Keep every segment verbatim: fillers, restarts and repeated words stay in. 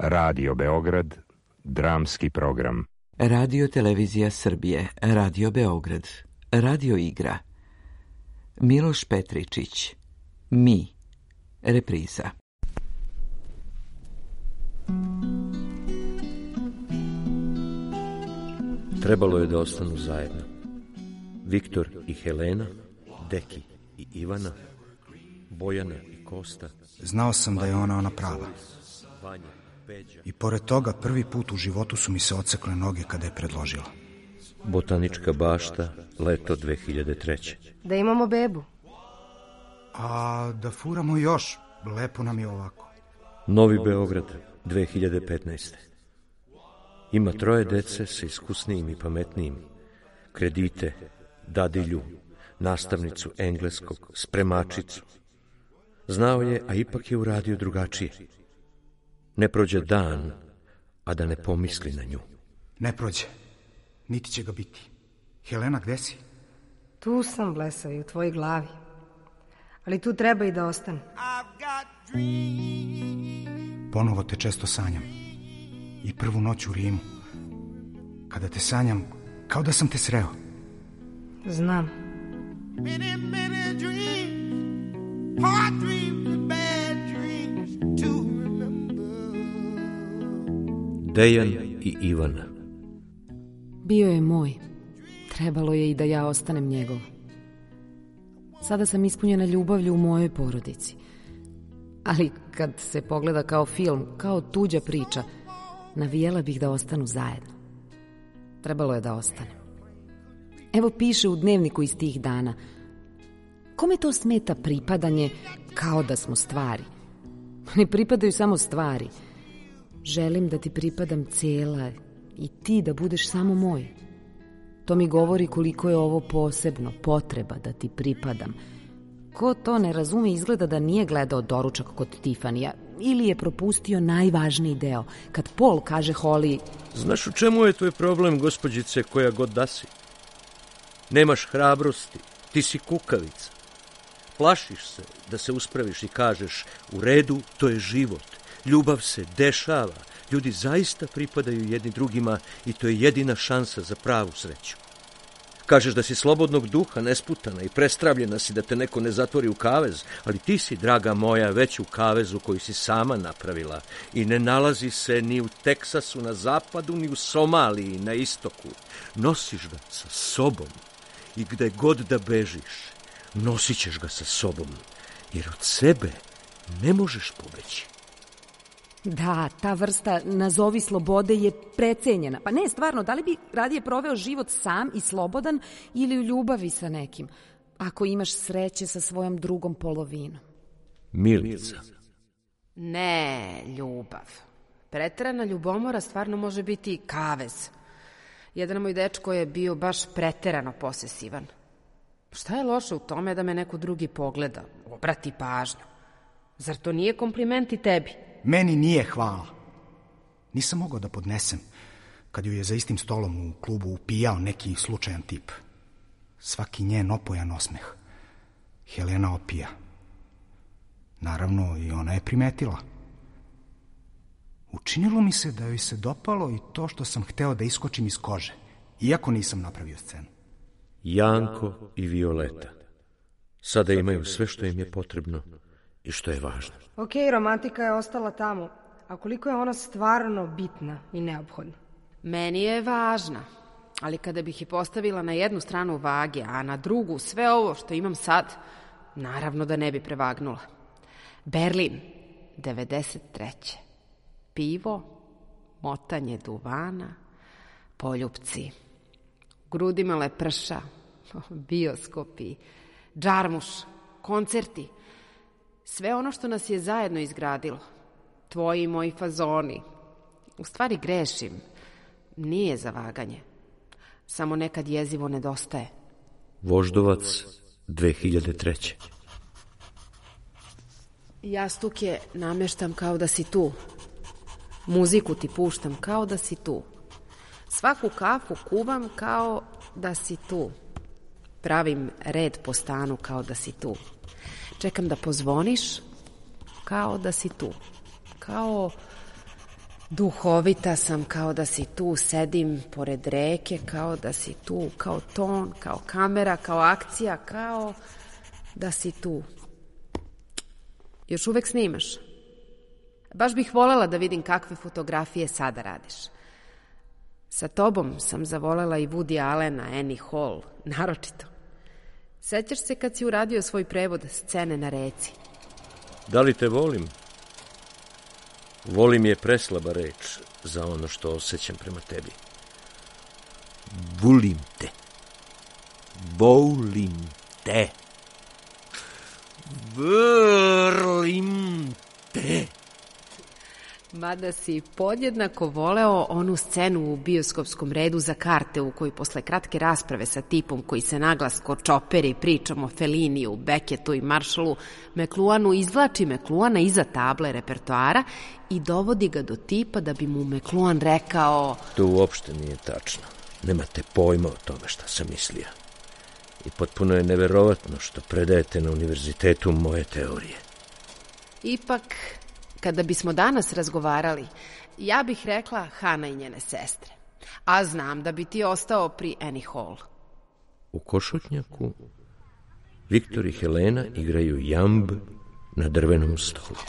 Radio Beograd, dramski program. Radio Televizija Srbije, Radio Beograd, Radio Igra. Miloš Petričić, Mi, repriza. Trebalo je da ostanu zajedno. Viktor i Helena, Deki i Ivana, Bojana i Kosta. Znao sam da je ona ona prava. I pored toga prvi put u životu su mi se odsekle noge kada je predložila. Botanička bašta, leto dve hiljade treće. Da imamo bebu. A da furamo još, lepo nam je ovako. Novi Beograd, dve hiljade petnaeste. Ima troje dece sa iskusnijim i pametnijim. Kredite, dadilju, nastavnicu engleskog, spremačicu. Znao je, a ipak je uradio drugačije. Ne prođe dan, a da ne pomisli na nju. Ne prođe, niti će ga biti. Helena, gde si? Tu sam, blesavi, u tvojoj glavi. Ali tu treba i da ostane. Ponovo te često sanjam. I prvu noć u Rimu. Kada te sanjam, kao da sam te sreo. Znam. Dejan i Ivana. Bio je moj. Trebalo je i da ja ostanem njegov. Sada sam ispunjena ljubavlju u mojoj porodici. Ali kad se pogleda kao film, kao tuđa priča, navijela bih da ostanu zajedno. Trebalo je da ostanem. Evo piše u dnevniku iz tih dana. Kome to smeta pripadanje kao da smo stvari? Ne pripadaju samo stvari. Želim da ti pripadam cela i ti da budeš samo moj. To mi govori koliko je ovo posebno, potreba da ti pripadam. Ko to ne razume, izgleda da nije gledao doručak kod Tifanija ili je propustio najvažniji deo, kad Paul kaže Holly: Znaš u čemu je tvoj problem, gospođice, koja god da si? Nemaš hrabrosti, ti si kukavica. Plašiš se da se uspraviš i kažeš: u redu, to je život. Ljubav se dešava, ljudi zaista pripadaju jedni drugima i to je jedina šansa za pravu sreću. Kažeš da si slobodnog duha, nesputana i prestravljena si da te neko ne zatvori u kavez, ali ti si, draga moja, već u kavezu koji si sama napravila i ne nalazi se ni u Teksasu na zapadu, ni u Somaliji na istoku. Nosiš ga sa sobom i gde god da bežiš, nosit ćeš ga sa sobom, jer od sebe ne možeš pobeći. Da, ta vrsta nazovi slobode je precenjena. Pa ne, stvarno, da li bi radije proveo život sam i slobodan ili u ljubavi sa nekim, ako imaš sreće sa svojom drugom polovinom? Milica. Ne, ljubav. Preterana ljubomora stvarno može biti kavez. Jedan moj dečko je bio baš preterano posesivan. Šta je loše u tome da me neko drugi pogleda, obrati pažnju? Zar to nije kompliment i tebi? Meni nije hvala. Nisam mogao da podnesem kad ju je za istim stolom u klubu upijao neki slučajan tip. Svaki njen opojan osmeh. Helena opija. Naravno, i ona je primetila. Učinilo mi se da joj se dopalo i to što sam hteo da iskočim iz kože, iako nisam napravio scenu. Janko i Violeta. Sada imaju sve što im je potrebno i što je važno. Ok, romantika je ostala tamo, a koliko je ona stvarno bitna i neophodna? Meni je važna, ali kada bih je postavila na jednu stranu vage, a na drugu sve ovo što imam sad, naravno da ne bi prevagnula. Berlin, devedeset treće. Pivo, motanje duvana, poljupci, grudima leprša, bioskopi, džarmuš, koncerti. Sve ono što nas je zajedno izgradilo. Tvoji i moji fazoni. U stvari grešim. Nije za vaganje. Samo nekad jezivo nedostaje. Voždovac, dve hiljade treće. Jastuke nameštam kao da si tu. Muziku ti puštam kao da si tu. Svaku kafu kuvam kao da si tu. Pravim red po stanu kao da si tu. Čekam da pozvoniš kao da si tu. Kao Duhovita sam, kao da si tu, sedim pored reke, kao da si tu, kao ton, kao kamera, kao akcija, kao da si tu. Još uvek snimaš? Baš bih voljela da vidim kakve fotografije sada radiš. Sa tobom sam zavolela i Woody Allena, Annie Hall, naročito. Sećaš se kad si uradio svoj prevod Scene na reci? Da li te volim? Volim je preslaba reč za ono što osjećam prema tebi. Volim te. Volim te. Vrlim te. Mada si podjednako voleo onu scenu u bioskopskom redu za karte u kojoj posle kratke rasprave sa tipom koji se naglas ko čoperi pričam o Felliniju, Beckettu i Marshallu, McLuhanu izvlači McLuhana iza table repertoara i dovodi ga do tipa da bi mu McLuhan rekao... To uopšte nije tačno. Nemate pojma o tome šta sam mislio. I potpuno je neverovatno što predajete na univerzitetu moje teorije. Ipak... Kada bismo danas razgovarali, ja bih rekla Hana i njene sestre. A znam da bi ti ostao pri Annie Hall. U košutnjaku Viktor i Helena igraju jamb na drvenom stolu.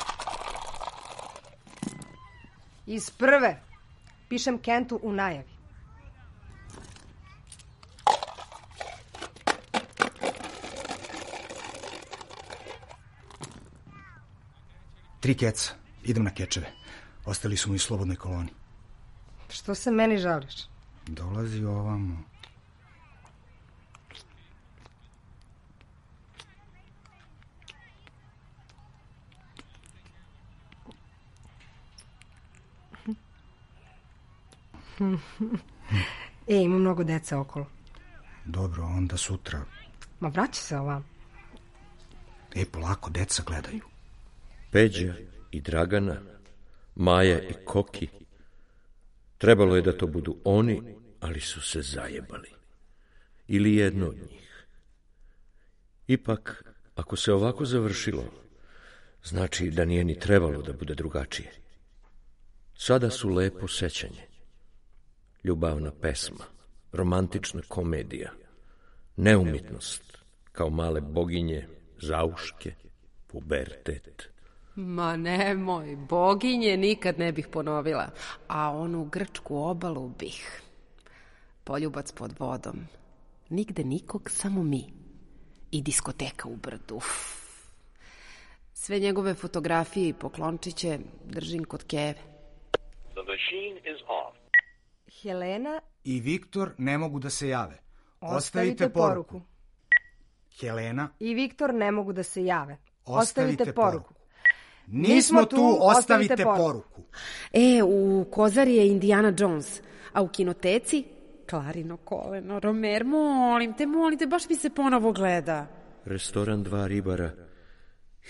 Iz prve. Pišem Kentu u najavi. Tri keca. Idem na kečeve. Ostali su mu i slobodnoj koloni. Što se meni žališ? Dolazi ovamo. E, ima mnogo deca okolo. Dobro, onda sutra. Ma vraća se ovam. E, polako, deca gledaju. Peđa i Dragana, Maja i Koki. Trebalo je da to budu oni, ali su se zajebali. Ili jedno od njih. Ipak, ako se ovako završilo, znači da nije ni trebalo da bude drugačije. Sada su lepo sećanje. Ljubavna pesma, romantična komedija, neumitnost, kao male boginje, zauške, pubertet. Ma nemoj, boginje nikad ne bih ponovila, a onu grčku obalu bih. Poljubac pod vodom, nigde nikog, samo mi. I diskoteka u brdu. Sve njegove fotografije i poklončiće držim kod keve. The machine is off. Helena i Viktor ne mogu da se jave. Ostavite, Ostavite poruku. poruku. Helena i Viktor ne mogu da se jave. Ostavite, Ostavite poruku. poruku. Nismo tu, ostavite poruku. E, u Kozari je Indiana Jones, a u kinoteci Klarino koleno. Romer, molim te, molim te, baš mi se ponovo gleda. Restoran Dva ribara,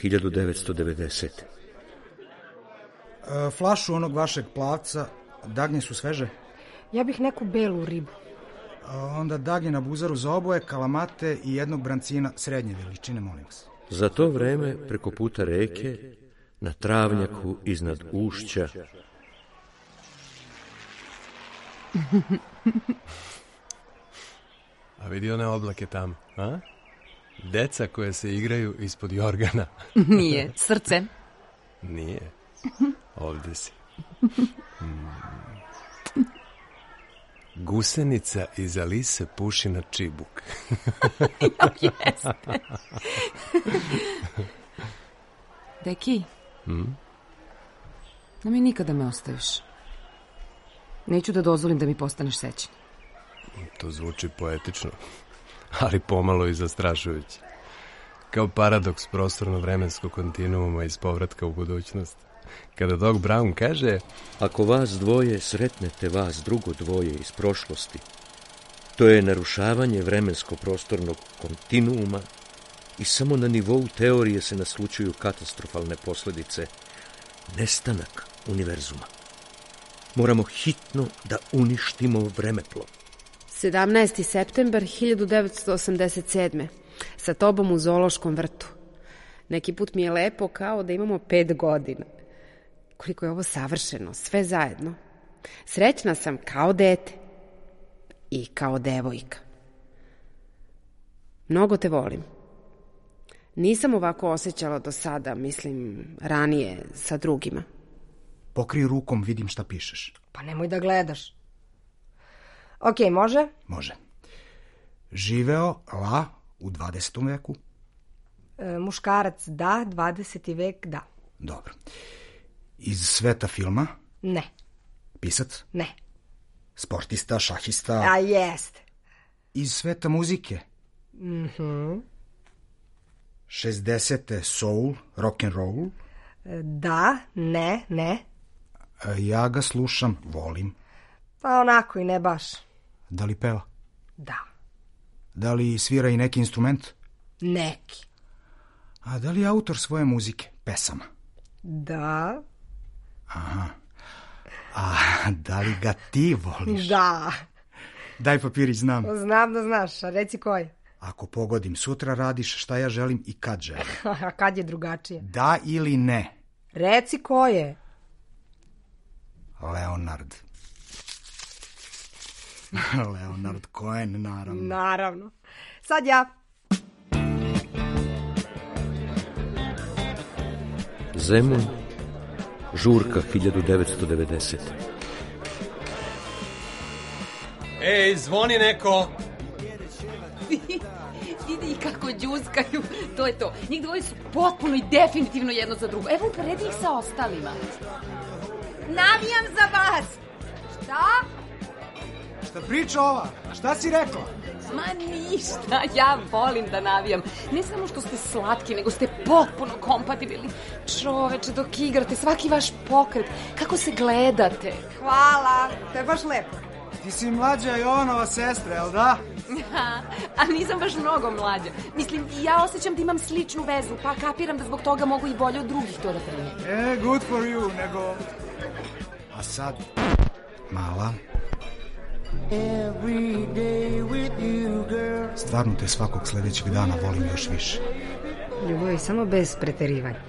hiljadu devetsto devedesete. E, flašu onog vašeg plavca, dagnje su sveže? Ja bih neku belu ribu. E, onda dagnje na buzaru za oboje, kalamate i jednog brancina srednje veličine, molim vas. Za to vreme, preko puta reke, na travnjaku iznad ušća, A vidi one oblake tamo, a? Deca koje se igraju ispod jorgana. Nije, srce. Nije, ovde si. Mm. Gusenica iza lise puši na čibuk. Ja, jeste. Deki, Mm? da mi nikada me ostaviš. Neću da dozvolim da mi postaneš sećan. To zvuči poetično, ali pomalo i zastrašujuće. Kao paradoks prostorno-vremenskog kontinuuma iz Povratka u budućnost. Kada Doc Brown kaže: ako vas dvoje sretnete vas drugo dvoje iz prošlosti, to je narušavanje vremensko-prostornog kontinuuma i samo na nivou teorije se naslučuju katastrofalne posledice, nestanak univerzuma. Moramo hitno da uništimo vremeplov. sedamnaesti septembar hiljadu devetsto osamdeset sedme. Sa tobom u zoološkom vrtu. Neki put mi je lepo kao da imamo pet godina. koliko je ovo savršeno, sve zajedno. Srećna sam kao dete i kao devojka. Mnogo te volim. Nisam ovako osjećala do sada, mislim, ranije sa drugima. Pokri rukom, vidim šta pišeš. Pa nemoj da gledaš. Ok, može? Može. Živeo la u dvadesetom veku? E, muškarac da, dvadeseti vek da. Dobro. Iz sveta filma? Ne. Pisac? Ne. Sportista, šahista? A jeste. Iz sveta muzike? Mhm. šezdesete soul, rock and roll? Da, ne, ne. Ja ga slušam, volim. Pa onako i ne baš. Da li peva? Da. Da li svira i neki instrument? Neki. A da li je autor svoje muzike, pesama? Da. Aha. A da li ga ti voliš? Da. Daj papirić, znam. Znam da znaš, a reci koji. Ako pogodim, sutra radiš šta ja želim i kad želim. A kad je drugačije? Da ili ne? Reci ko je. Leonard. Leonard Cohen, naravno. Naravno. Sad ja. Zemun, žurka hiljadu devetsto devedesete. Ej, zvoni neko! Vidi i kako džuskaju, to je to. Njih dvoje su potpuno i definitivno jedno za drugo. Evo, uporedi ih sa ostalima. Navijam za vas. Šta? Šta priča ova? Šta si rekla? Ma ništa, ja volim da navijam. Ne samo što ste slatki, nego ste potpuno kompatibilni. Čoveče, dok igrate, svaki vaš pokret, kako se gledate. Hvala, to je baš lepo. Ti si mlađa Jovanova sestra, jel da? A nisam baš mnogo mlađa. Mislim, ja osjećam da imam sličnu vezu, pa kapiram da zbog toga mogu i bolje od drugih to da primim. E, good for you, nego... A sad, mala... Stvarno te svakog sledećeg dana volim još više. Ljubavi, samo bez preterivanja.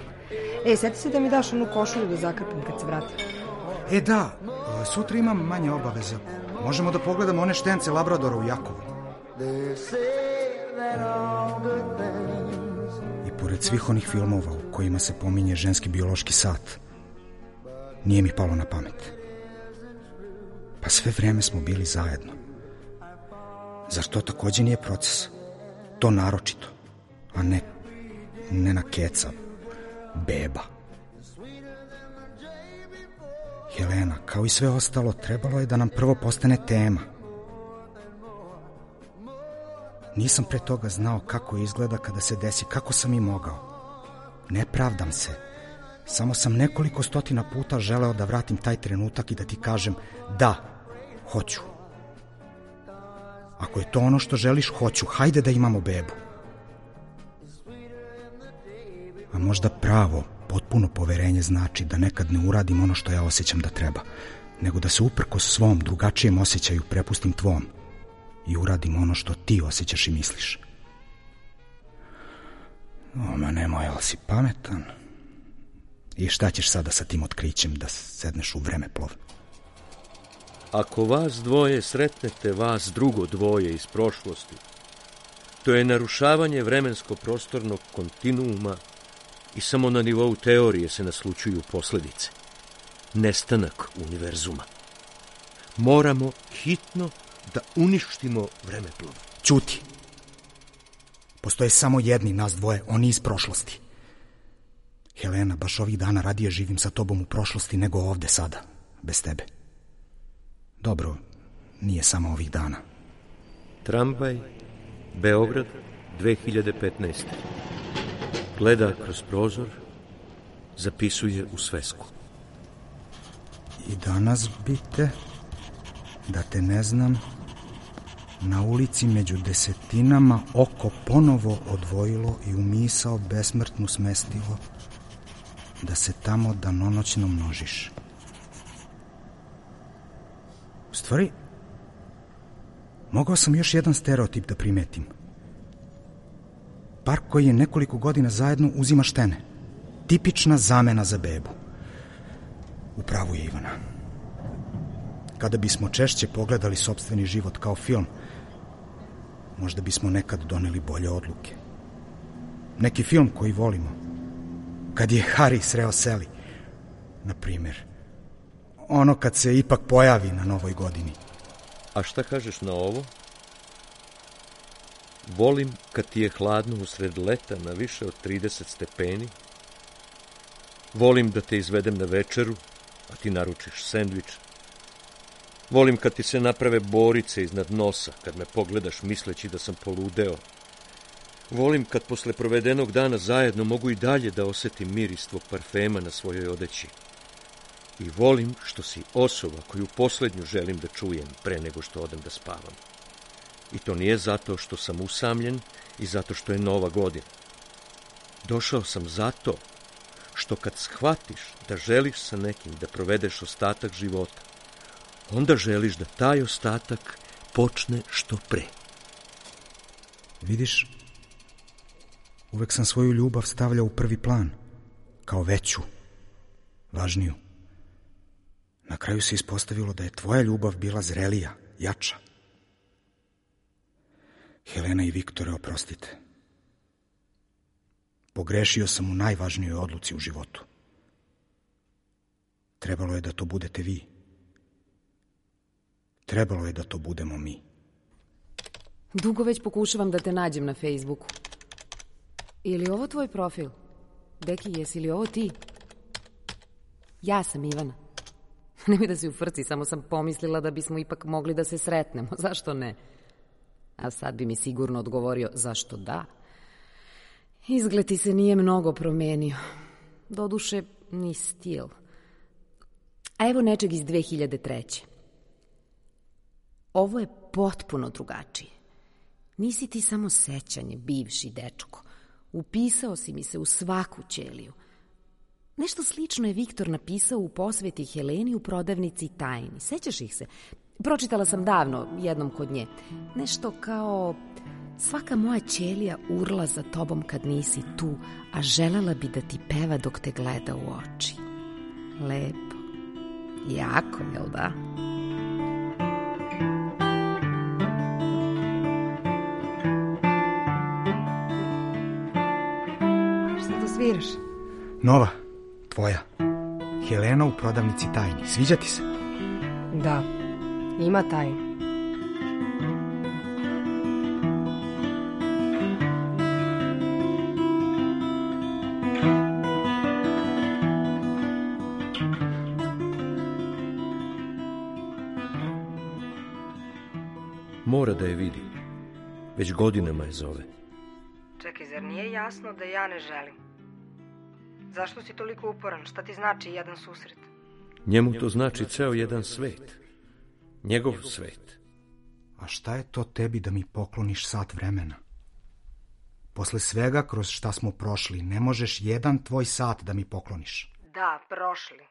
E, sjeti se da mi daš onu košulju da zakrpim kad se vratim. E da, sutra imam manje obaveze. Možemo da pogledamo one štence Labradora u Jakovu. I pored svih onih filmova u kojima se pominje ženski biološki sat, nije mi palo na pamet. Pa sve vreme smo bili zajedno. Zar to takođe nije proces? To naročito, a ne nena keca, beba. Helena, kao i sve ostalo, trebalo je da nam prvo postane tema. Nisam pre toga znao kako izgleda kada se desi, kako sam i mogao. Ne pravdam se. Samo sam nekoliko stotina puta želeo da vratim taj trenutak i da ti kažem da, hoću. Ako je to ono što želiš, hoću, hajde da imamo bebu. A možda pravo, potpuno poverenje znači da nekad ne uradim ono što ja osjećam da treba, nego da se uprkos svom drugačijem osjećaju prepustim tvom i uradim ono što ti osjećaš i misliš. O, ma nemoj, ali si pametan. I šta ćeš sada sa tim otkrićem da sedneš u vremeplov? Ako vas dvoje sretnete vas drugo dvoje iz prošlosti, to je narušavanje vremensko-prostornog kontinuuma i samo na nivou teorije se naslučuju posledice. Nestanak univerzuma. Moramo hitno da uništimo vremeplov. Ćuti. Postoje samo jedni nas dvoje, oni iz prošlosti. Helena, baš ovih dana radije živim sa tobom u prošlosti nego ovde sada, bez tebe. Dobro, nije samo ovih dana. Tramvaj, Beograd, dve hiljade petnaeste. Gleda kroz prozor, zapisuje u svesku. I danas bi te, da te ne znam, na ulici među desetinama oko ponovo odvojilo i u misao besmrtnu smestilo, da se tamo danonoćno množiš. U stvari, mogao sam još jedan stereotip da primetim. Par koji je nekoliko godina zajedno uzima štene. Tipična zamena za bebu. U pravu je Ivana. Kada bismo češće pogledali sopstveni život kao film, možda bismo nekad doneli bolje odluke. Neki film koji volimo, kad je Harry sreo Sally, na primjer. Ono kad se ipak pojavi na Novoj godini. A šta kažeš na ovo? Volim kad ti je hladno usred leta na više od trideset stepeni. Volim da te izvedem na večeru, a ti naručiš sendvič. Volim kad ti se naprave borice iznad nosa, kad me pogledaš misleći da sam poludeo. Volim kad posle provedenog dana zajedno mogu i dalje da osetim miris tvog parfema na svojoj odeći. I volim što si osoba koju posljednju želim da čujem pre nego što odem da spavam. I to nije zato što sam usamljen i zato što je Nova godina. Došao sam zato što kad shvatiš da želiš sa nekim da provedeš ostatak života, onda želiš da taj ostatak počne što pre. Vidiš, uvek sam svoju ljubav stavljao u prvi plan, kao veću, važniju. Na kraju se ispostavilo da je tvoja ljubav bila zrelija, jača. Helena i Viktore, oprostite. Pogrešio sam u najvažnijoj odluci u životu. Trebalo je da to budete vi. Trebalo je da to budemo mi. Dugo već pokušavam da te nađem na Facebooku. Ili ovo tvoj profil? Deki, jesi li ovo ti? Ja sam Ivana. Nemoj da si u frci, samo sam pomislila da bismo ipak mogli da se sretnemo. Zašto ne? A sad bi mi sigurno odgovorio zašto da. Izgled ti se nije mnogo promenio. Doduše, ni stil. A evo nečeg iz dve hiljade treće. Ovo je potpuno drugačije. Nisi ti samo sećanje, bivši dečko. Upisao si mi se u svaku ćeliju. Nešto slično je Viktor napisao u posveti Heleni u prodavnici tajni. Sećaš ih se? Pročitala sam davno, jednom kod nje. Nešto kao: svaka moja ćelija urla za tobom kad nisi tu, a želela bi da ti peva dok te gleda u oči. Lepo. Jako, jel da? Šta to sviraš? Nova, tvoja. Helena u prodavnici tajni. Sviđa ti se? Da, ima tajnu. Mora da je vidi. Već godinama je zove. Čekaj, zar nije jasno da ja ne želim? Zašto si toliko uporan? Šta ti znači jedan susret? Njemu to znači ceo jedan svet. Njegov svet. A šta je to tebi da mi pokloniš sat vremena? Posle svega kroz šta smo prošli, ne možeš jedan tvoj sat da mi pokloniš. Da, prošli.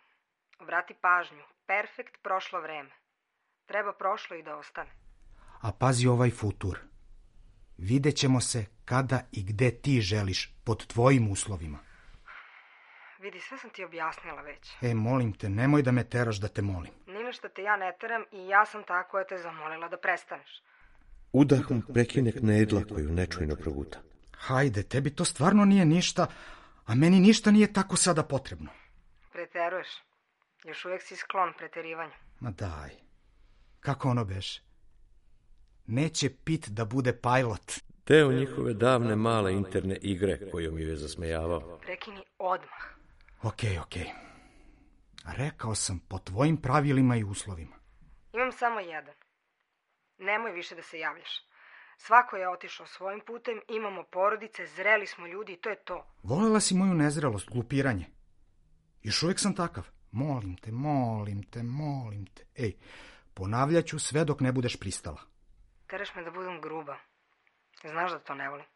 Obrati pažnju. Perfekt prošlo vreme. Treba prošlo i da ostane. A pazi ovaj futur. Videćemo se kada i gde ti želiš, pod tvojim uslovima. Vidi, sve sam ti objasnila već. E, molim te, nemoj da me teraš da te molim. Ni na što te ja ne teram i ja sam ta koja te zamolila da prestaneš. Udahom prekine knedla koju nečujno proguta. Hajde, tebi to stvarno nije ništa, a meni ništa nije tako sada potrebno. Preteruješ. Još uvijek si sklon preterivanju. Ma daj. Kako ono beše? Neće Pit da bude pilot. Deo njihove davne male interne igre kojom ju je zasmejavao. Prekini odmah. Okej, okej. Rekao sam po tvojim pravilima i uslovima. Imam samo jedan. Nemoj više da se javljaš. Svako je otišao svojim putem, imamo porodice, zreli smo ljudi i to je to. Volela si moju nezrelost, glupiranje. Još uvijek sam takav. Molim te, molim te, molim te. Ej, ponavljat ću sve dok ne budeš pristala. Teraš me da budem gruba. Znaš da to ne volim.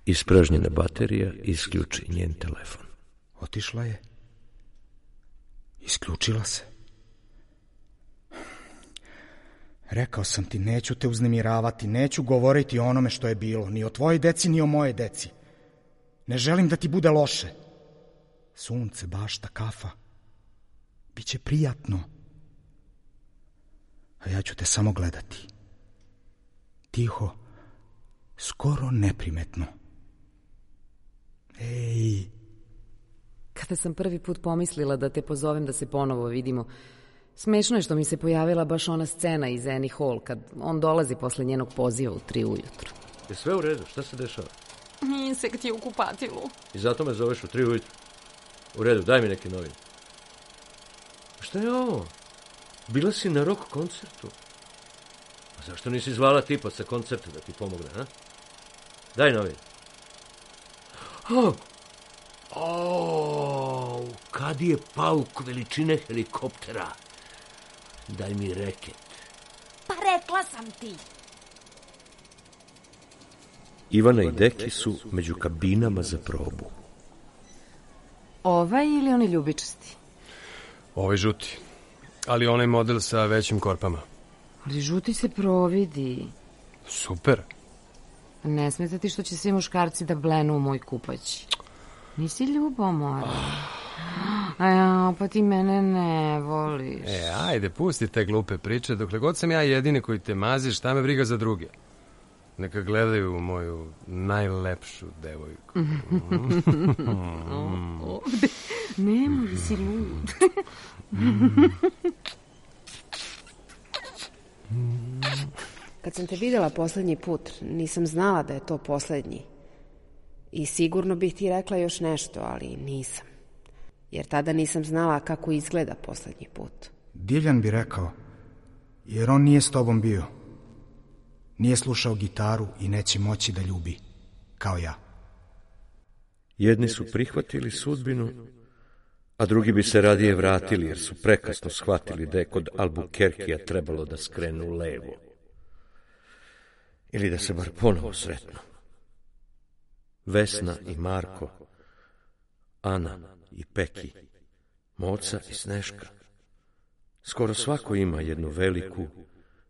Ispražnjena baterija isključi njen telefon. Otišla je. Isključila se. Rekao sam ti, neću te uznemiravati, neću govoriti o onome što je bilo, ni o tvojoj deci, ni o moje deci. Ne želim da ti bude loše. Sunce, bašta, kafa. Biće prijatno. A ja ću te samo gledati. Tiho, skoro neprimetno. Ej! Kada sam prvi put pomislila da te pozovem da se ponovo vidimo, smešno je što mi se pojavila baš ona scena iz Annie Hall, kad on dolazi posle njenog poziva u tri ujutru. Je sve u redu? Šta se dešava? Insekt je u kupatilu. I zato me zoveš u tri ujutru? U redu, daj mi neke novine. Šta je ovo? Bila si na rock koncertu. A zašto nisi zvala tipa sa koncerta da ti pomogne, a? Daj novine. Oh! O, kad je pauk veličine helikoptera? Daj mi reket. Pa rekla sam ti. Ivana i Deki su među kabinama za probu. Ovaj ili oni ljubičasti? Ovaj žuti, ali onaj model sa većim korpama. Ali žuti se providi. Super. Ne smeta ti što će svi muškarci da blenu u moj kupać. Nisi ljubomora. A ja, pa ti mene ne voliš. E, ajde, pusti te glupe priče. Dokle god sam ja jedini koji te mazi, šta me briga za druge? Neka gledaju moju najlepšu devojku. Ovde. Nemoj, si lud. Kad sam te videla poslednji put, nisam znala da je to poslednji. I sigurno bih ti rekla još nešto, ali nisam. Jer tada nisam znala kako izgleda poslednji put. Divljan bi rekao, jer on nije s tobom bio. Nije slušao gitaru i neće moći da ljubi, kao ja. Jedni su prihvatili sudbinu, a drugi bi se radije vratili, jer su prekasno shvatili da je kod Albuquerquea trebalo da skrenu levo. Ili da se bar ponovo sretnu. Vesna i Marko, Ana i Peki, Moca i Sneška. Skoro svako ima jednu veliku,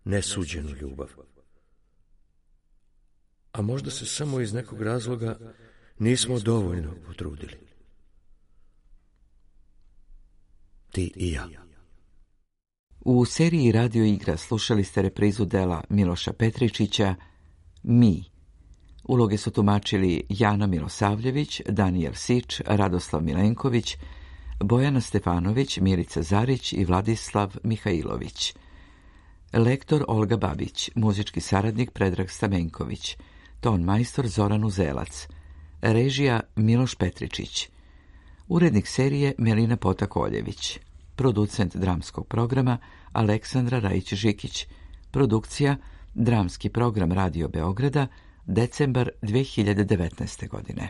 nesuđenu ljubav. A možda se samo iz nekog razloga nismo dovoljno potrudili. Ti i ja. U seriji Radio igra slušali ste reprizu dela Miloša Petričića Mi. Uloge su tumačili Jana Milosavljević, Danijel Sič, Radoslav Milenković, Bojana Stefanović, Milica Zarić i Vladislav Mihajlović. Lektor Olga Babić, muzički saradnik Predrag Stamenković, ton majstor Zoran Uzelac, režija Miloš Petričić, urednik serije Melina Potakoljević, producent dramskog programa Aleksandra Rajić-Žikić, produkcija Dramski program Radio Beograda, decembar dve hiljade devetnaeste godine.